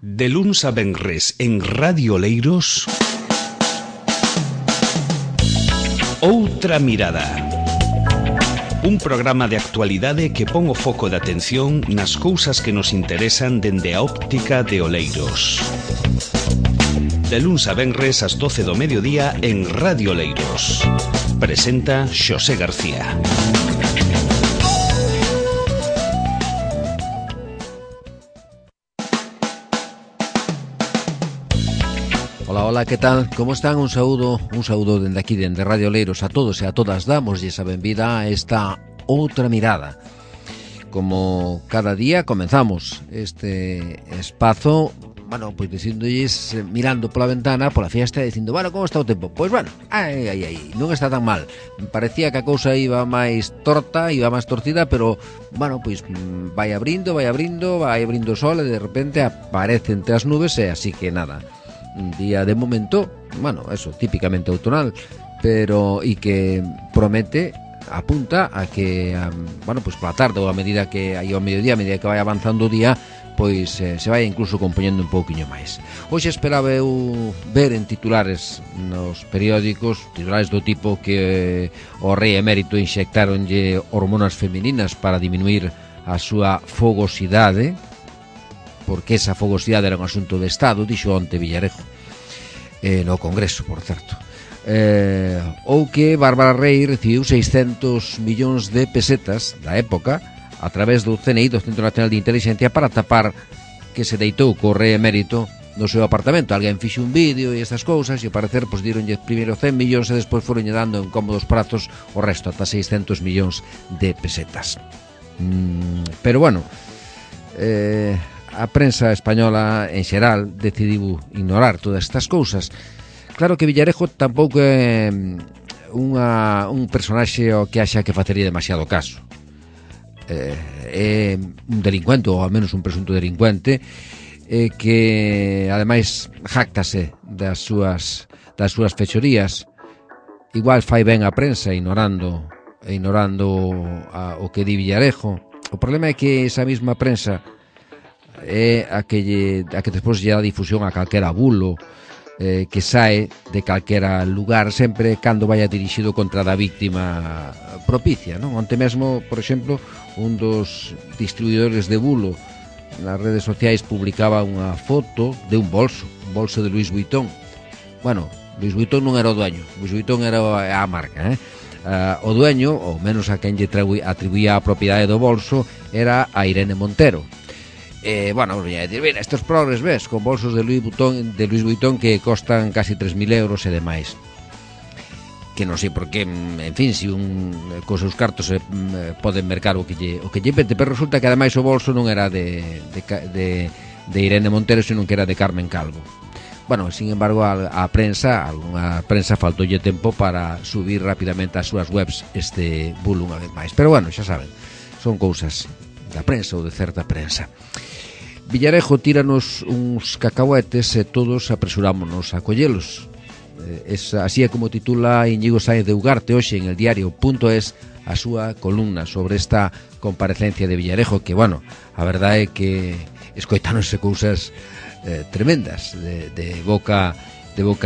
De luns a venres en Radio Oleiros, Outra Mirada. Un programa de actualidade que pon o foco de atención nas cousas que nos interesan dende a óptica de Oleiros. De luns a venres ás 12 do mediodía en Radio Oleiros. Presenta Xosé García. Hola, que tal? Como están? Un saúdo dende aquí, dende Radio Oleiros, a todos e a todas. Damoslle a benvida a esta Outra Mirada. Como cada día comenzamos este espazo, bueno, pois dicindolles, mirando pola ventana, pola fiesta, dicindo, bueno, como está o tempo? Pois bueno, non está tan mal. Parecía que a cousa iba máis torta, iba máis torcida, pero, bueno, pois vai abrindo o sol e de repente aparece entre as nubes e así que nada. Un día de momento, bueno, eso, típicamente outonal, pero e que promete, apunta a que, bueno, pois pola tarde ou a medida que hai ao mediodía, a medida que vai avanzando o día, pois se vai incluso compoñendo un pouquiño máis. Hoxe esperaba eu ver en titulares nos periódicos, titulares do tipo que o rei emérito inxectaronlle hormonas femininas para diminuir a súa fogosidade, porque esa fogosidade era un asunto de Estado, dixo onte Villarejo, no Congreso, por certo. Ou que Bárbara Rey recibiu 600 millóns de pesetas da época a través do CNI, do Centro Nacional de Inteligencia, para tapar que se deitou co rei emérito no seu apartamento. Alguén fixe un vídeo e estas cousas e ao parecer pois dironlle primeiro 100 millóns e despois foronlle dando en cómodos prazos o resto, ata 600 millóns de pesetas. Pero bueno, a prensa española en xeral decidiu ignorar todas estas cousas. Claro que Villarejo tampouco é un personaxe ao que haxa que facerlle demasiado caso. É un delincuente, ou ao menos un presunto delincuente, que ademais jactase das súas fechorías. Igual fai ben a prensa ignorando o que di Villarejo. O problema é que esa mesma prensa é a que despois lle dá difusión a calquera bulo que sae de calquera lugar, sempre cando vaya dirixido contra da víctima propicia, non? Onte mesmo, por exemplo, un dos distribuidores de bulo nas redes sociais publicaba unha foto de un bolso de Louis Vuitton. Bueno, Louis Vuitton non era o dueño, Louis Vuitton era a marca, o dueño, ou menos a quen lle atribuía a propiedade do bolso, era a Irene Montero. Bueno, voy a decir, mira, estos progres, ves, con bolsos de Louis Vuitton que costan casi 3.000 euros e demais. Que non sei por qué, en fin, se cos seus cartos poden mercar o que lle pete, pero resulta que ademais o bolso non era de Irene Montero, senón que era de Carmen Calvo. Bueno, sin embargo, a prensa faltoulle tempo para subir rapidamente ás súas webs este bulo unha vez máis. Pero bueno, xa saben, son cousas da prensa ou de certa prensa. Villarejo tíranos uns cacahuetes e todos apresurámonos a collelos. Así é como titula Íñigo Sáenz de Ugarte hoxe en el diario.es a súa columna sobre esta comparecencia de Villarejo, que, bueno, a verdade é que escoitáronse cousas tremendas de boca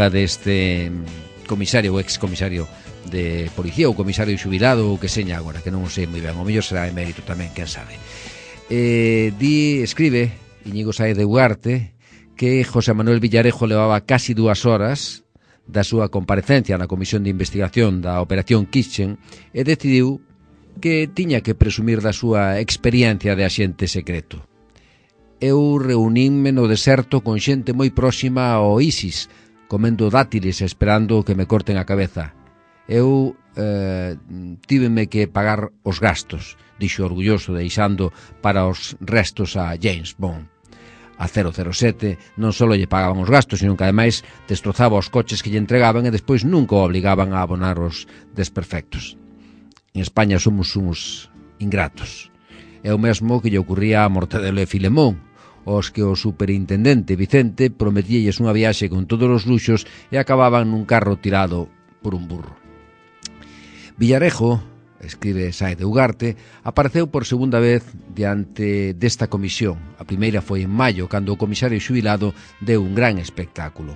deste comisario ou excomisario de policía ou comisario xubilado ou que seña agora, que non o sei moi ben, o mellor será emérito tamén, quen sabe. Escribe Íñigo Sáenz de Ugarte que José Manuel Villarejo levaba casi 2 horas da súa comparecencia na Comisión de Investigación da Operación Kitchen e decidiu que tiña que presumir da súa experiencia de axente secreto. Eu reunínme no deserto con xente moi próxima ao ISIS, comendo dátiles e esperando que me corten a cabeza. Eu tíveme que pagar os gastos, dixo orgulloso, deixando para os restos a James Bond. A 007 non só lle pagaban os gastos, sino que ademais destrozaba os coches que lle entregaban e despois nunca o obligaban a abonar os desperfectos. En España somos uns ingratos. É o mesmo que lle ocurría a Mortadelo e Filemón, os que o superintendente Vicente prometíalles unha viaxe con todos os luxos e acababan nun carro tirado por un burro. Villarejo escribe Sáez de Ugarte, apareceu por segunda vez diante desta comisión. A primeira foi en maio, cando o comisario xubilado deu un gran espectáculo.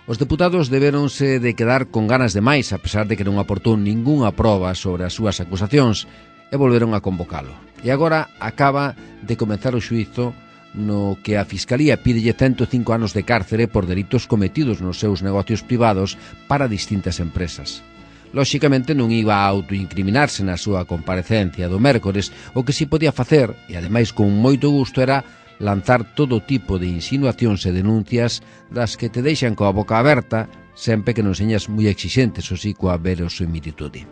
Os deputados deberonse de quedar con ganas de máis, a pesar de que non aportou ningunha proba sobre as súas acusacións, e volveron a convocalo. E agora acaba de comenzar o xuízo no que a Fiscalía pídelle 105 anos de cárcere por delitos cometidos nos seus negocios privados para distintas empresas. Lóxicamente non iba a autoincriminarse na súa comparecencia do mércores, o que si podía facer, e ademais con moito gusto, era lanzar todo tipo de insinuacións e denuncias das que te deixan coa boca aberta, sempre que non señas moi exixentes, o si coa verosimilitude.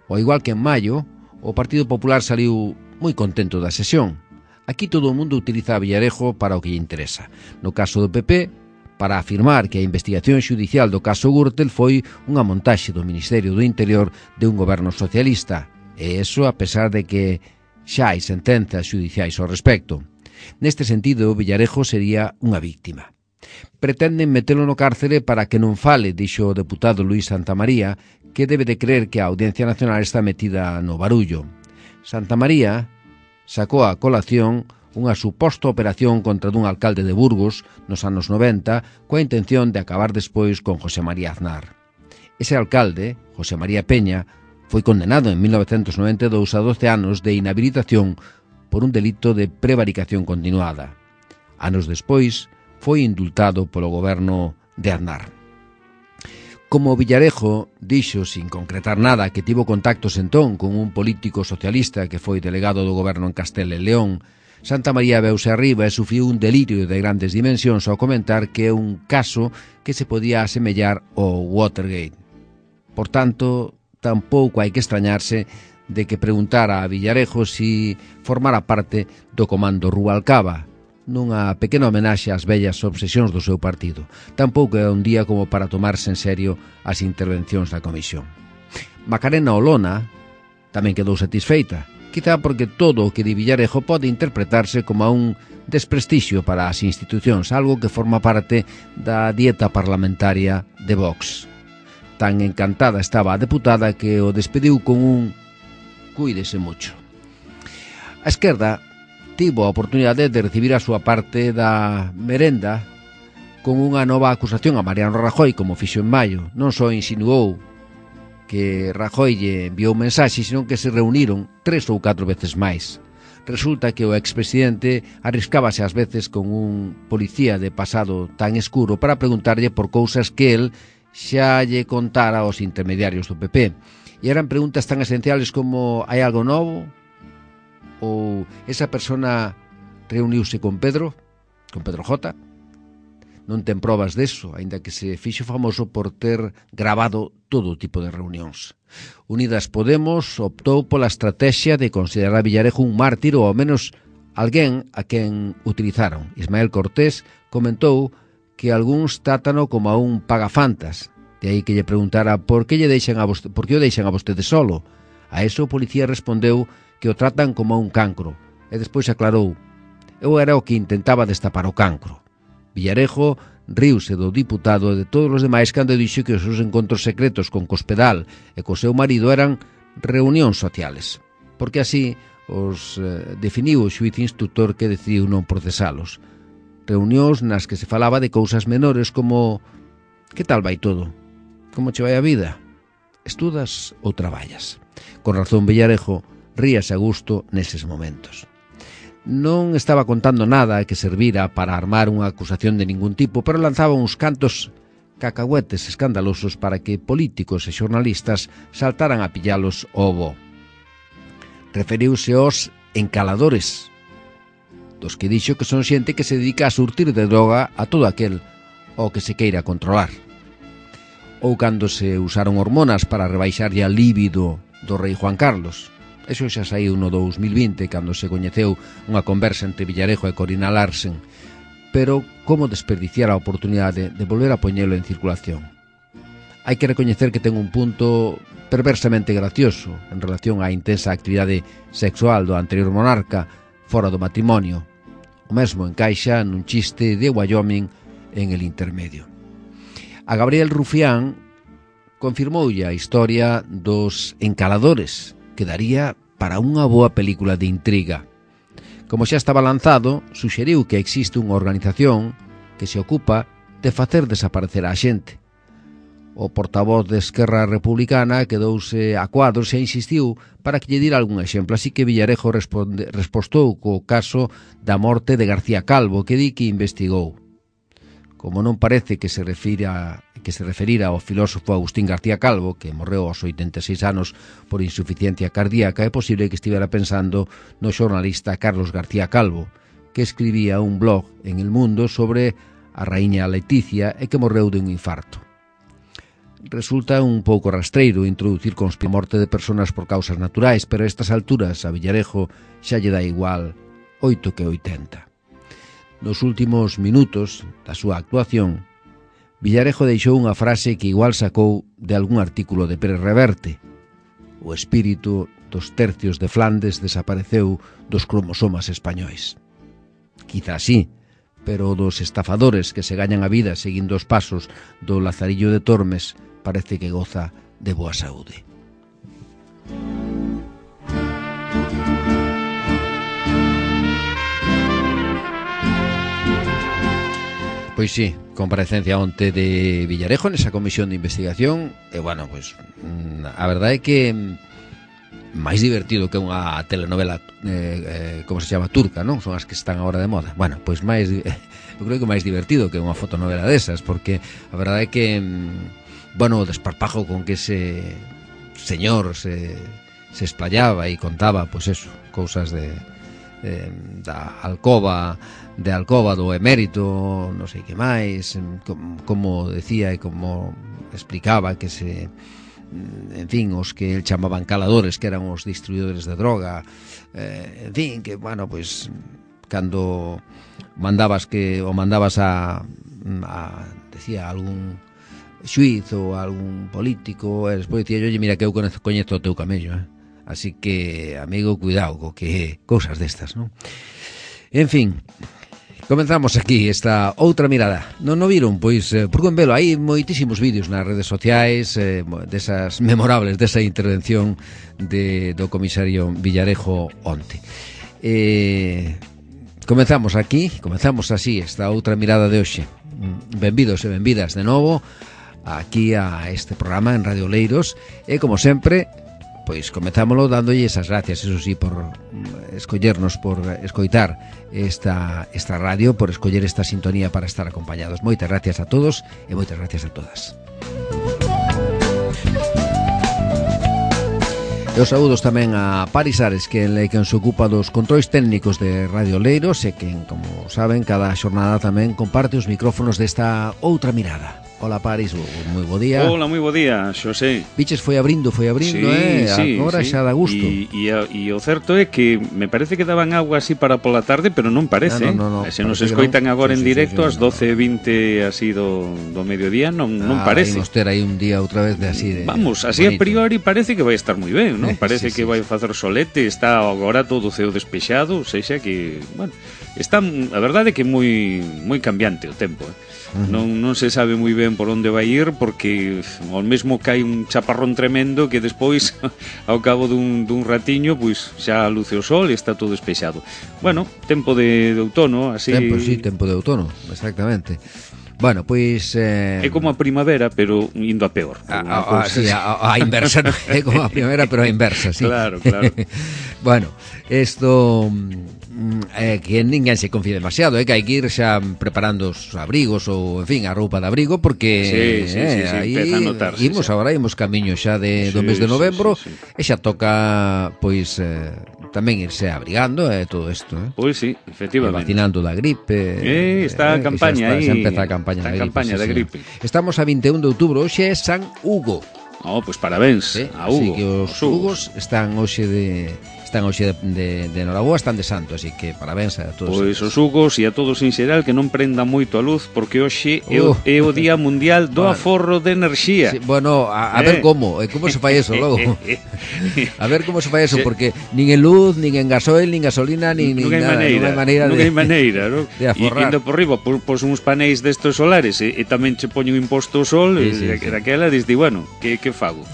Ao igual que en maio, o Partido Popular saliu moi contento da sesión. Aquí todo o mundo utiliza a Villarejo para o que lle interesa. No caso do PP, para afirmar que a investigación xudicial do caso Gürtel foi unha montaxe do Ministerio do Interior de un goberno socialista, e eso a pesar de que xa hai sentenzas xudiciais ao respecto. Neste sentido, Villarejo sería unha víctima. Pretenden metelo no cárcere para que non fale, dixo o deputado Luís Santamaría, que debe de creer que a Audiencia Nacional está metida no barullo. Santamaría sacou a colación unha suposta operación contra dun alcalde de Burgos nos anos 90 coa intención de acabar despois con José María Aznar. Ese alcalde, José María Peña, foi condenado en 1992 a 12 anos de inhabilitación por un delito de prevaricación continuada. Anos despois, foi indultado polo goberno de Aznar. Como Villarejo dixo, sin concretar nada, que tivo contactos entón con un político socialista que foi delegado do goberno en Castela e León, Santamaría veuse arriba e sufriu un delirio de grandes dimensións ao comentar que é un caso que se podía asemellar ao Watergate. Por tanto, tampouco hai que extrañarse de que preguntara a Villarejo si formara parte do comando Rubalcaba, nunha pequena homenaxe ás vellas obsesións do seu partido. Tampouco é un día como para tomarse en serio as intervencións da comisión. Macarena Olona tamén quedou satisfeita, quizá porque todo o que di Villarejo pode interpretarse como un desprestixio para as institucións, algo que forma parte da dieta parlamentaria de Vox. Tan encantada estaba a deputada que o despediu con un "cuídese mucho". A esquerda tivo a oportunidade de recibir a súa parte da merenda con unha nova acusación a Mariano Rajoy, como fixo en maio. Non só insinuou que Rajoy lle enviou mensaxe, senón que se reuniron 3 ou 4 veces máis. Resulta que o expresidente arriscábase ás veces con un policía de pasado tan escuro para preguntarlle por cousas que el xa lle contara aos intermediarios do PP. E eran preguntas tan esenciales como: hai algo novo? Ou esa persona reuniuse con Pedro J? Non ten probas deso, aínda que se fixo famoso por ter grabado todo tipo de reunións. Unidas Podemos optou pola estrategia de considerar a Villarejo un mártir ou ao menos alguén a quen utilizaron. Ismael Cortés comentou que algúns trátano como a un pagafantas, de aí que lle preguntara por que o deixan a vostede solo. A eso o policía respondeu que o tratan como a un cancro, e despois aclarou: eu era o que intentaba destapar o cancro. Villarejo riuse do diputado e de todos os demais cando dixo que os seus encontros secretos con Cospedal e co seu marido eran reunións sociales, porque así os definiu o xuíz instructor que decidiu non procesalos. Reunións nas que se falaba de cousas menores como: que tal vai todo? Como che vai a vida? Estudas ou traballas? Con razón Villarejo ríase a gusto neses momentos. Non estaba contando nada que servira para armar unha acusación de ningún tipo, pero lanzaba uns cantos cacahuetes escandalosos para que políticos e xornalistas saltaran a pillalos ao bo. Referiuse aos encaladores, dos que dixo que son xente que se dedica a surtir de droga a todo aquel ao que se queira controlar. Ou cando se usaron hormonas para rebaixarlle a líbido do rei Juan Carlos. Eso xa saiu no 2020, cando se coñeceu unha conversa entre Villarejo e Corina Larsen. Pero como desperdiciar a oportunidade de volver a poñelo en circulación? Hai que recoñecer que ten un punto perversamente gracioso en relación á intensa actividade sexual do anterior monarca fora do matrimonio. O mesmo encaixa nun chiste de Wyoming en El Intermedio. A Gabriel Rufián confirmoulle a historia dos encaladores quedaría para unha boa película de intriga. Como xa estaba lanzado, suxeriu que existe unha organización que se ocupa de facer desaparecer a xente. O portavoz de Esquerra Republicana quedouse a cuadros e insistiu para que lle dira algún exemplo, así que Villarejo respostou co caso da morte de García Calvo, que di que investigou. Como non parece que se referira ao filósofo Agustín García Calvo, que morreu aos 86 anos por insuficiencia cardíaca, é posible que estivera pensando no xornalista Carlos García Calvo, que escribía un blog en El Mundo sobre a raíña Leticia e que morreu de un infarto. Resulta un pouco rastreiro introducir a morte de personas por causas naturais, pero a estas alturas a Villarejo xa lle dá igual 8 que 80. Nos últimos minutos da súa actuación, Villarejo deixou unha frase que igual sacou de algún artículo de Pérez Reverte. O espírito dos tercios de Flandes desapareceu dos cromosomas españois. Quizá sí, pero dos estafadores que se gañan a vida seguindo os pasos do Lazarillo de Tormes parece que goza de boa saúde. Pois sí, comparecencia onte de Villarejo nesa comisión de investigación e, bueno, pois a verdade é que máis divertido que unha telenovela como se chama, turca, non? Son as que están agora de moda. Bueno, pois máis eu creo que máis divertido que unha fotonovela desas, porque a verdade é que bueno, o desparpajo con que ese señor se esplayaba e contaba, pois eso, cousas da alcoba do emérito, non sei que máis, como decía e como explicaba que en fin, os que el chamaban caladores, que eran os distribuidores de droga, en fin, que, bueno, pois cando mandabas a decía algún xuiz ou algún político, e despois dicía, oye, mira que eu coñezo o teu camello, así que, amigo, cuidado co que cousas destas, non? En fin, comenzamos aquí esta outra mirada. Non o viron? Pois, por con velo, hai moitísimos vídeos nas redes sociais desas memorables, desa intervención do comisario Villarejo onte. Comenzamos así esta outra mirada de hoxe. Benvidos e benvidas de novo aquí a este programa en Radio Oleiros e, como sempre, pois comenzámoslo dándolle esas gracias, eso sí, por escollernos, por escoitar esta radio, por escoller esta sintonía para estar acompañados. Moitas gracias a todos e moitas gracias a todas. E os saúdos tamén a Paris Ares, que se ocupa dos controis técnicos de Radio Oleiros e que, como saben, cada xornada tamén comparte os micrófonos desta outra mirada. Hola, Paris, moi bo día. Hola, moi bo día, Xosé. Piches foi abrindo, sí, agora sí. Xa dá gusto. E o certo é que me parece que daban agua así para pola tarde, pero non parece. No, se nos escoitan agora en directo ás 12:20 así do mediodía, non parece. Vamos ter aí un día outra vez de así de vamos, así bonito. A priori parece que vai estar moi ben, non? Parece que vai facer solete, está agora todo o ceo despexado, sexa que, bueno, está, a verdade é que moi cambiante o tempo, Non se sabe moi ben por onde vai ir, porque ao mesmo cae un chaparrón tremendo que despois ao cabo dun ratiño pois xa luce o sol e está todo despexado. Bueno, tempo de outono, así. Tempo de outono, exactamente. Bueno, pois é como a primavera, pero indo a peor. A inversa, ¿no? É como a primavera, pero a inversa, sí. Claro. Bueno, isto que ninguén se confíe demasiado, que hai que ir xa preparando os abrigos ou, en fin, a roupa de abrigo, porque sí, empeza a notarse. Imos camiño xa do mes de novembro, e xa toca, pois, tamén irse abrigando todo isto, Pois sí, efectivamente. Vacinando da gripe. Está a campaña aí. Xa empeza a campaña da gripe. Estamos a 21 de outubro, hoxe é San Hugo. Pois parabéns a Hugo. Así que os Hugos están hoxe están hoxe de Noraboa, están de santo, así que parabéns a todos. Pois os Hugos e a todos en xeral que non prendan moito a luz, porque hoxe é o Día Mundial do Aforro de Enerxía. Sí, bueno, a ver como se fai eso logo. A ver como se fai eso, porque nin en luz, nin en gasoil, nin gasolina, nin nada, non hai maneira ¿no? de aforrar. E indo por riba, pos uns paneis destos solares e tamén che poño un imposto ao sol, daquela diz, bueno, que fago?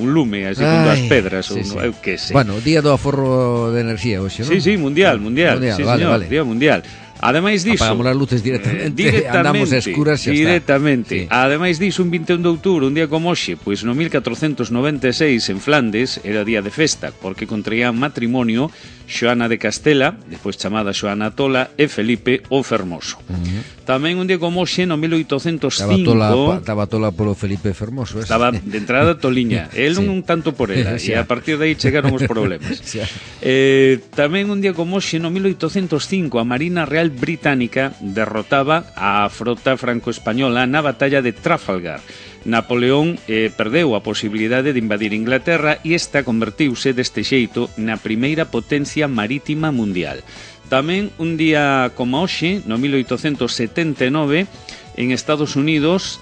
Un lume así con dúas pedras ou eu que sei. Bueno, o Día do Aforro de Enerxía hoxe, non? Sí, mundial, sí, vale, señor, vale. Día Mundial. Ademais diso, apagamos as luces directamente, andamos a escuras xa directamente. Sí. Ademais diso, un 21 de outubro, un día como hoxe, pois no 1496 en Flandes era día de festa, porque contraían matrimonio Xoana de Castela, despois chamada Xoana Tola, e Felipe o Fermoso. Tamén un día como hoxe, no 1805... Estaba tola polo Felipe Fermoso. Estaba de entrada toliña. El non un tanto por ela, e a partir de aí chegaron os problemas. Tamén un día como hoxe, no 1805, a Marina Real Británica derrotaba a frota franco-española na batalla de Trafalgar. Napoleón perdeu a posibilidade de invadir Inglaterra e esta convertiuse deste xeito na primeira potencia marítima mundial. Tamén un día como hoxe, no 1879, en Estados Unidos,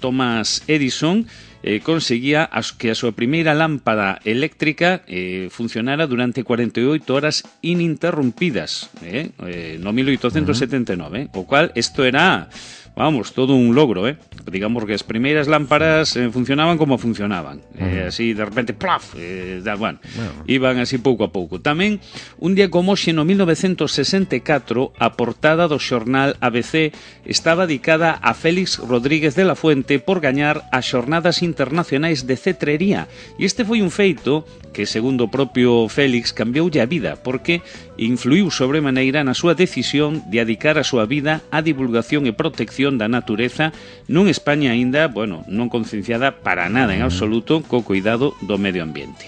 Thomas Edison conseguía que a súa primeira lámpada eléctrica funcionara durante 48 horas ininterrumpidas, no 1879, o cual isto era... Vamos, todo un logro, digamos que as primeiras lámparas funcionaban como funcionaban, así de repente, plaf, iban así pouco a pouco. Tamén, un día como hoxe, no 1964, a portada do xornal ABC estaba dedicada a Félix Rodríguez de la Fuente por gañar as xornadas internacionais de cetrería, e este foi un feito que, segundo o propio Félix, cambioulle a vida, porque influiu sobremaneira na súa decisión de dedicar a súa vida á divulgación e protección da natureza nun España aínda, non concienciada para nada en absoluto co cuidado do medio ambiente.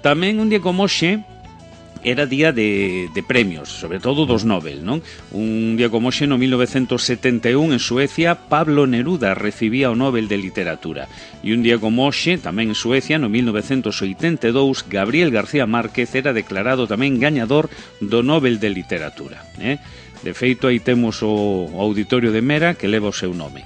Tamén un día como hoxe era día de premios, sobre todo dos Nobel, non? Un día como hoxe, no 1971, en Suecia, Pablo Neruda recibía o Nobel de Literatura. E un día como hoxe, tamén en Suecia, no 1982, Gabriel García Márquez era declarado tamén gañador do Nobel de Literatura. De feito, aí temos o Auditorio de Mera, que leva o seu nome.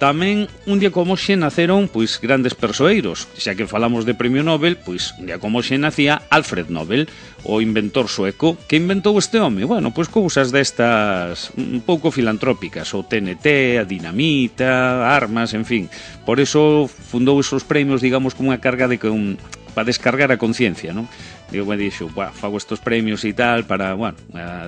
Tamén, un día como hoxe, naceron grandes persoeiros. Xa que falamos de premio Nobel, un día como hoxe nacía Alfred Nobel, o inventor sueco. Que inventou este home? Cousas destas un pouco filantrópicas, o TNT, a dinamita, armas, en fin. Por eso fundou esos premios, digamos, como unha carga para descargar a conciencia, non? Dixo, fago estos premios e tal para,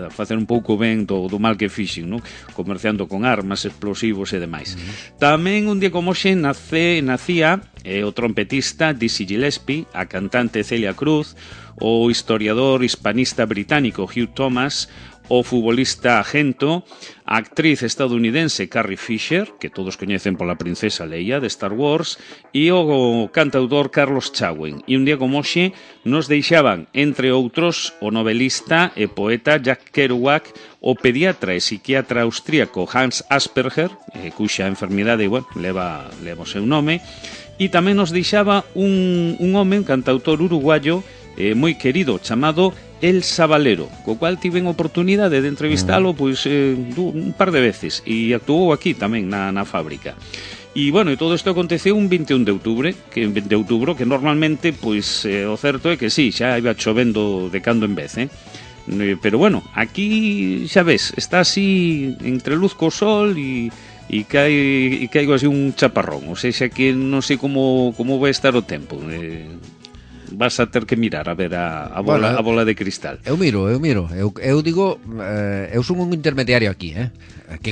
facer un pouco ben do mal que fixen, non? Comerciando con armas, explosivos e demais. Tamén un día como hoxe nacía o trompetista Dizzy Gillespie, a cantante Celia Cruz, o historiador hispanista británico Hugh Thomas, o futbolista Gento, a actriz estadounidense Carrie Fisher, que todos coñecen pola princesa Leia de Star Wars, e o cantautor Carlos Chauen. E un día como hoxe nos deixaban, entre outros, o novelista e poeta Jack Kerouac, o pediatra e psiquiatra austríaco Hans Asperger, cuxa enfermidade leva o seu nome, e tamén nos deixaba un home, un cantautor uruguayo moi querido, chamado El Sabalero, co cual tiven oportunidade de entrevistalo un par de veces, e actuou aquí tamén na fábrica. E, e todo isto aconteceu un 21 de outubro, que normalmente, o certo é que sí, xa iba chovendo de cando en vez, pero aquí, xa ves, está así entre luz co sol e caigo así un chaparrón, ou seja que non sei como vai estar o tempo. Vas a ter que mirar a ver a bola de cristal. Eu miro. Eu digo, eu son un intermediario aquí, que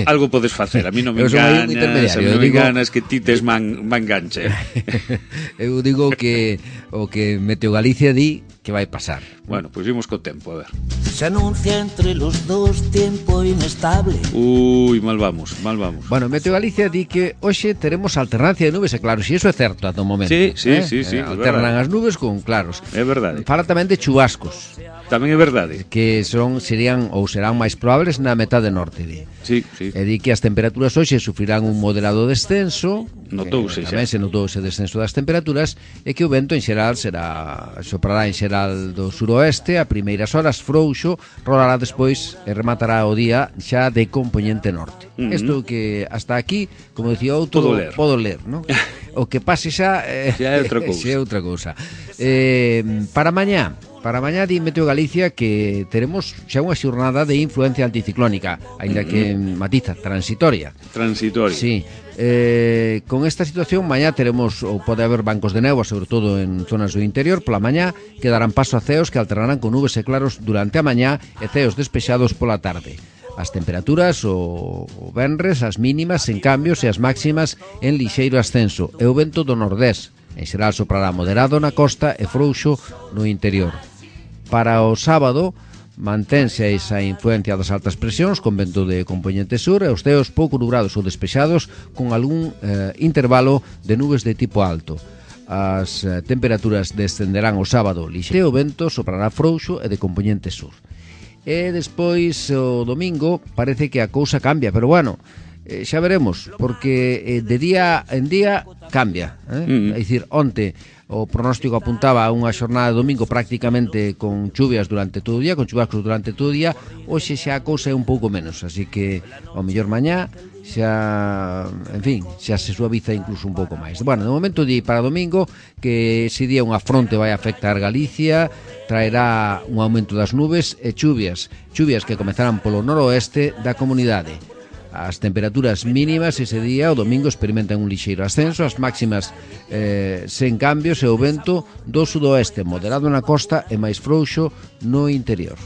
algo podes facer. A mí non me enganas que ti tes man ganche. Eu digo que o que Meteo Galicia di que vai pasar. Imos co tempo, a ver. Se anuncia entre los dos tiempo inestable. Mal vamos. Meteo Galicia di que hoxe teremos alternancia de nubes, e claro, si eso é certo ata o momento. Sí. Alternan as nubes con claros. É verdade. Fala tamén de chubascos. tamén é verdade. Que serían ou serán máis probables na metade norte. Sí, sí. E di que as temperaturas hoxe sufrirán un moderado descenso. Notouse xa. Tamén se notou ese descenso das temperaturas, e que o vento en xeral soprará en xeral do suroeste a primeiras horas frouxo, rolará despois e rematará o día xa de compoñente norte. Isto que hasta aquí, como dicía outro, podo ler, non? O que pase xa xa é outra cousa. Xa é outra cousa. Para mañá di Meteo Galicia que teremos xa unha xornada de influencia anticiclónica, aínda que matiza, transitoria. Sí. Con esta situación mañá teremos, ou pode haber bancos de néboa, sobre todo en zonas do interior. Pola mañá que darán paso a ceos que alternarán con nubes e claros durante a mañá e ceos despexados pola tarde. As temperaturas o venres, as mínimas en cambios e as máximas en lixeiro ascenso, e o vento do nordés en xeral soprará moderado na costa e frouxo no interior. Para o sábado mantense esa influencia das altas presións con vento de compoñente sur e os ceos pouco nubrados ou despexados con algún intervalo de nubes de tipo alto. As temperaturas descenderán o sábado lixeiro, o vento soprará frouxo e de compoñente sur. E despois o domingo parece que a cousa cambia, pero bueno, xa veremos, porque de día en día cambia, É dicir, onte o pronóstico apuntaba a unha xornada de domingo prácticamente con chuvias durante todo o día, con chubascos durante todo o día. Hoxe xa a cousa é un pouco menos, así que ao mellor mañá xa, en fin, xa se suaviza incluso un pouco máis. Bueno, de momento di para domingo que ese día unha fronte vai afectar Galicia, traerá un aumento das nubes e chuvias que comezarán polo noroeste da comunidade. As temperaturas mínimas ese día, o domingo, experimentan un lixeiro ascenso, as máximas sen cambios, e o vento do sudoeste moderado na costa e máis frouxo no interior.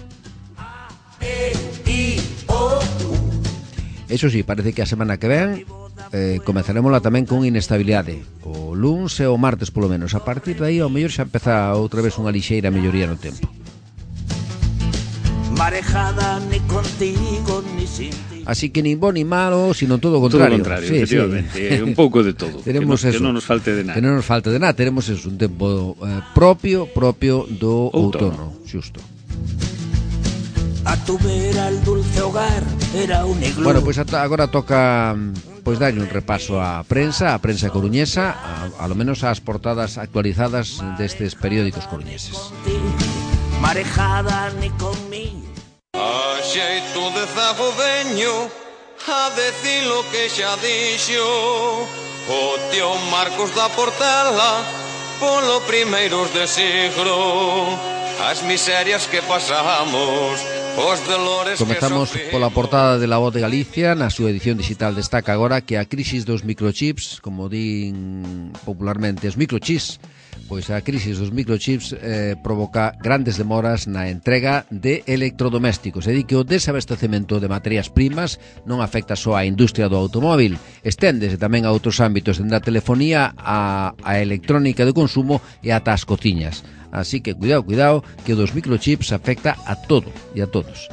Eso sí, parece que a semana que ven comezaremosla tamén con inestabilidade, o luns e o martes polo menos. A partir de aí ao mellor xa empeza outra vez unha lixeira melloría no tempo. Marejada ni contigo ni sin ti. Así que nin bo ni malo, sino todo o contrario. Todo o contrario, sí, efectivamente, sí. Un pouco de todo. Tenemos que non nos falte de nada. Que non nos falte de nada, tenemos eso, un tempo propio do outono, xusto. A tu vera el dulce hogar era un iglú. Bueno, pois agora toca darlle un repaso á prensa coruñesa, a lo menos ás portadas actualizadas destes periódicos coruñeses. Marejada ni conmigo. A xeito de zagodeño, a decir lo que xa dixo o tío Marcos da Portela polo primeiros de siglo. As miserias que pasamos, os dolores. Comezamos pola portada de La Voz de Galicia. Na súa edición digital destaca agora que a crisis dos microchips, como din popularmente os microchips, pois a crisis dos microchips provoca grandes demoras na entrega de electrodomésticos. E di que o desabastecemento de materias primas non afecta só á industria do automóvil, esténdese tamén a outros ámbitos, dende a telefonía a electrónica de consumo e ata as cociñas. Así que cuidado, que o dos microchips afecta a todo e a todos.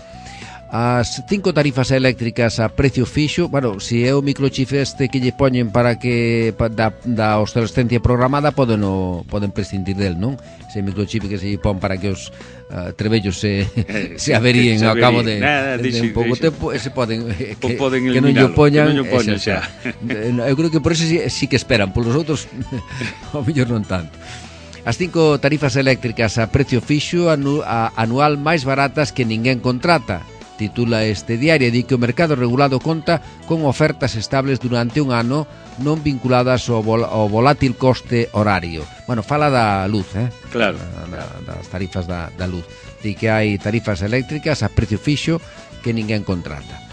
As 5 tarifas eléctricas a precio fixo, bueno, se é o microchip este que lle poñen para que da obsolescencia programada, poden prescindir del, non? Ese microchip que se lle pon para que os trebellos se averíen ao cabo de un pouco tempo, ese poden que non lle poñan xa. Eu creo que por eso sí que esperan, polos outros ao mellor non tanto. As 5 tarifas eléctricas a precio fixo anual máis baratas que ninguén contrata, titula este diario. Di que o mercado regulado conta con ofertas estables durante un ano non vinculadas ao volátil coste horario. Bueno, fala da luz, Claro. Das tarifas da luz. Di que hai tarifas eléctricas a precio fixo que ninguén contrata.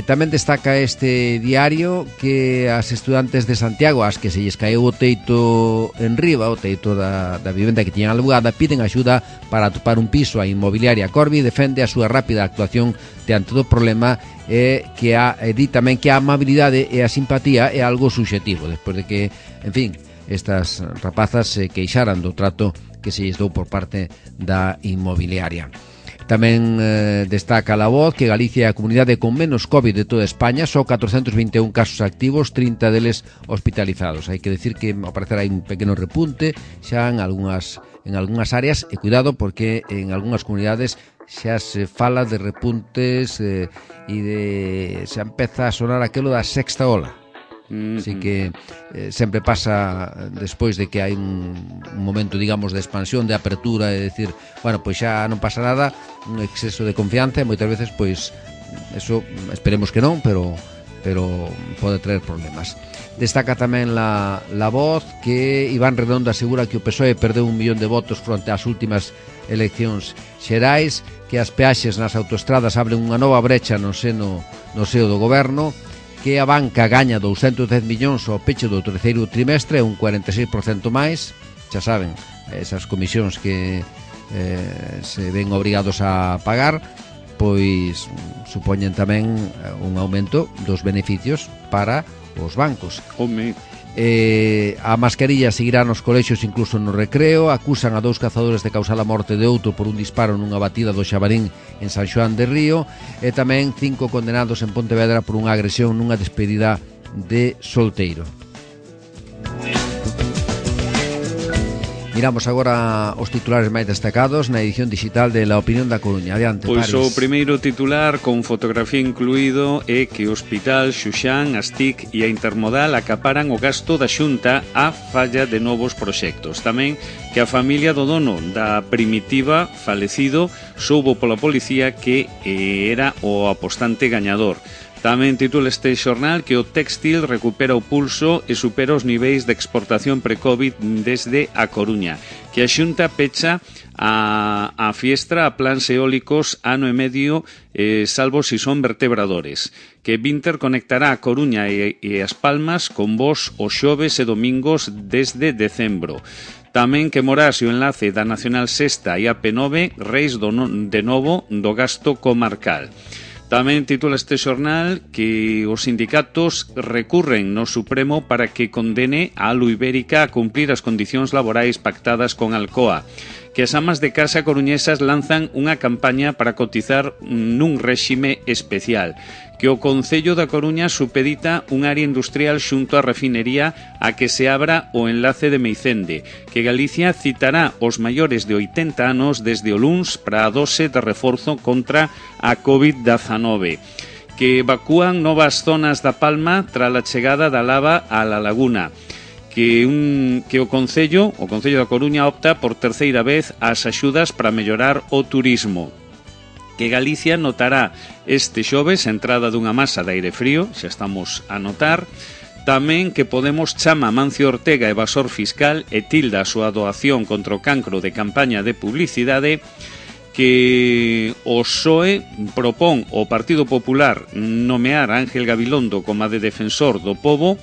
Tamén destaca este diario que as estudantes de Santiago, as que se lles caeu o teito en riba, o teito da vivenda que tiñan alugada, piden axuda para atopar un piso. A inmobiliaria Corby defende a súa rápida actuación diante do problema e di tamén que a amabilidade e a simpatía é algo subxetivo, despois de que, en fin, estas rapazas se queixaran do trato que se lles dou por parte da inmobiliaria. Tamén destaca La Voz que Galicia é a comunidade con menos COVID de toda España, só 421 casos activos, 30 deles hospitalizados. Hai que decir que ao parecer hai un pequeno repunte xa en algunhas áreas, e cuidado porque en algunhas comunidades xa se fala de repuntes e xa empeza a sonar aquilo da sexta ola. Así que sempre pasa despois de que hai un momento, digamos, de expansión, de apertura, e decir, bueno, pois xa non pasa nada, un exceso de confianza, e moitas veces, pois, eso esperemos que non, pero pode traer problemas. Destaca tamén la Voz que Iván Redondo asegura que o PSOE perdeu 1 millón de votos fronte ás últimas eleccións xerais, que as peaxes nas autoestradas abren unha nova brecha no seo do goberno, que a banca gaña 210 millóns ao peche do terceiro trimestre, un 46% máis. Xa saben, esas comisións que se ven obrigados a pagar, pois supoñen tamén un aumento dos beneficios para os bancos. A mascarilla seguirá nos colexios incluso no recreo. Acusan a 2 cazadores de causar a morte de outro por un disparo nunha batida do Xabarín en San Xoán de Río, e tamén 5 condenados en Pontevedra por unha agresión nunha despedida de solteiro. Miramos agora os titulares máis destacados na edición digital de La Opinión da Coruña. Adiante, Pois Paris. O primeiro titular, con fotografía incluído, é que o Hospital Xuxán, as TIC e a Intermodal acaparan o gasto da Xunta á falla de novos proxectos. Tamén que a familia do dono da Primitiva, falecido, soubo pola policía que era o apostante gañador. Tamén titula este xornal que o téxtil recupera o pulso e supera os niveis de exportación pre-Covid desde a Coruña, que a Xunta pecha a fiestra a plans eólicos ano e medio, salvo si son vertebradores, que Vinter conectará a Coruña e As Palmas con voos os xoves e domingos desde decembro. Tamén que morase o enlace da Nacional Sexta e a P9, reis de novo do gasto comarcal. Tamén titula este xornal que os sindicatos recurren no Supremo para que condene a Alu Ibérica a cumplir as condicións laborais pactadas con Alcoa, que as amas de casa coruñesas lanzan unha campaña para cotizar nun réxime especial, que o Concello da Coruña supedita un área industrial xunto á refinería a que se abra o enlace de Meicende, que Galicia citará os maiores de 80 anos desde o luns para a dose de reforzo contra a COVID-19, que evacúan novas zonas da Palma tras a chegada da lava á La Laguna, que o Concello da Coruña opta por terceira vez as axudas para mellorar o turismo, que Galicia notará este xoves a entrada dunha masa de aire frío, xa estamos a notar. Tamén que Podemos chama Mancio Ortega evasor fiscal e tilda a súa doación contra o cancro de campaña de publicidade, que o PSOE propón ao Partido Popular nomear a Ángel Gabilondo como de defensor do pobo,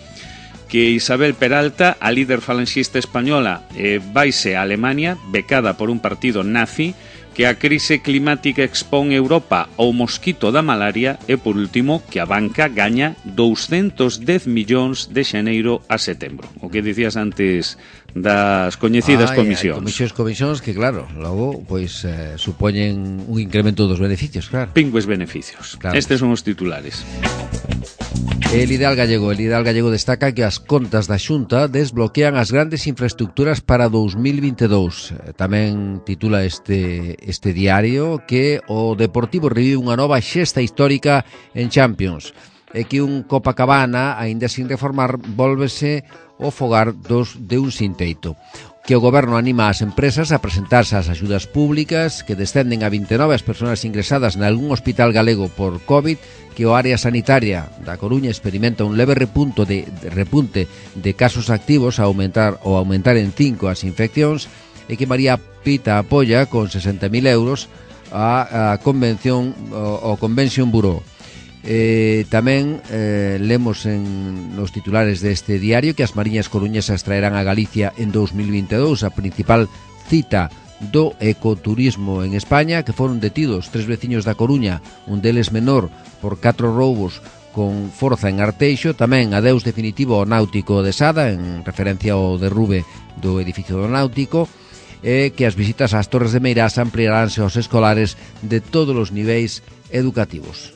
que Isabel Peralta, a líder falanxista española, vaise a Alemania, becada por un partido nazi, que a crise climática expón Europa ao mosquito da malaria e, por último, que a banca gaña 210 millóns de xaneiro a setembro. O que dicías antes das coñecidas comisións. Comisións que, claro, logo pois supoñen un incremento dos beneficios, claro. Pingües beneficios. Claro. Estes son os titulares. El Ideal Gallego destaca que as contas da Xunta desbloquean as grandes infraestructuras para 2022. Tamén titula este diario que o Deportivo revive unha nova xesta histórica en Champions, e que un Copacabana, aínda sin reformar, vólvese o fogar de un sin teito. Que o Goberno anima as empresas a presentarse ás axudas públicas, que descenden a 29 as persoas ingresadas nalgún hospital galego por COVID, que o área sanitaria da Coruña experimenta un leve repunte de casos activos a aumentar en 5 as infeccións, e que María Pita apoia con 60.000 euros a Convention Bureau. Tamén lemos nos titulares deste diario que as mariñas coruñesas traerán a Galicia en 2022 a principal cita do ecoturismo en España, que foron detidos 3 veciños da Coruña, un deles menor, por 4 roubos con forza en Arteixo. Tamén adeus definitivo ao náutico de Sada, en referencia ao derrube do edificio do náutico, e que as visitas ás Torres de Meirás ampliaránse aos escolares de todos os niveis educativos.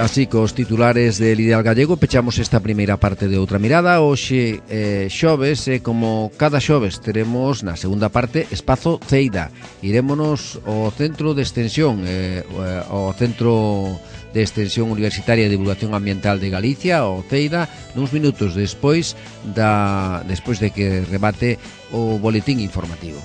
Así cos titulares del Ideal Gallego pechamos esta primeira parte de Outra Mirada. Hoxe xoves, como cada xoves teremos na segunda parte Espazo Ceida. Irémonos ao Centro de Extensión, ao Centro de Extensión Universitaria e Divulgación Ambiental de Galicia, o Ceida, nuns minutos despois de que rebate o boletín informativo.